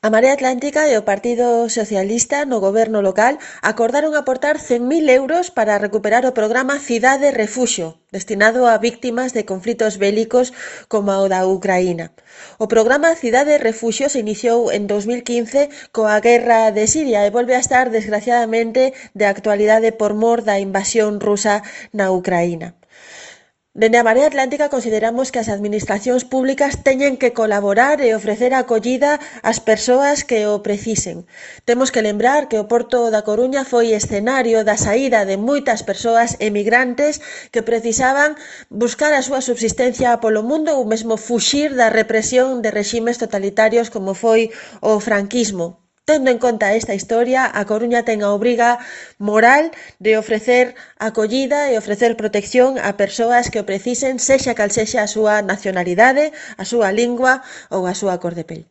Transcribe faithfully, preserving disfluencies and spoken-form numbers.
A Marea Atlántica e o Partido Socialista no goberno local acordaron aportar cen mil euros para recuperar o programa Cidade Refuxio, destinado a víctimas de conflitos bélicos como o da Ucraína. O programa Cidade Refuxio se iniciou en dos mil quince coa guerra de Siria e volve a estar, desgraciadamente, de actualidade por mor da invasión rusa na Ucraína. Dende a Marea Atlántica consideramos que as administracións públicas teñen que colaborar e ofrecer acollida ás persoas que o precisen. Temos que lembrar que o Porto da Coruña foi escenario da saída de moitas persoas emigrantes que precisaban buscar a súa subsistencia polo mundo ou mesmo fuxir da represión de reximes totalitarios como foi o franquismo. Tendo en conta esta historia, a Coruña ten a obriga moral de ofrecer acollida e ofrecer protección a persoas que o precisen, sexa cal sexa a súa nacionalidade, a súa lingua ou a súa cor de pel.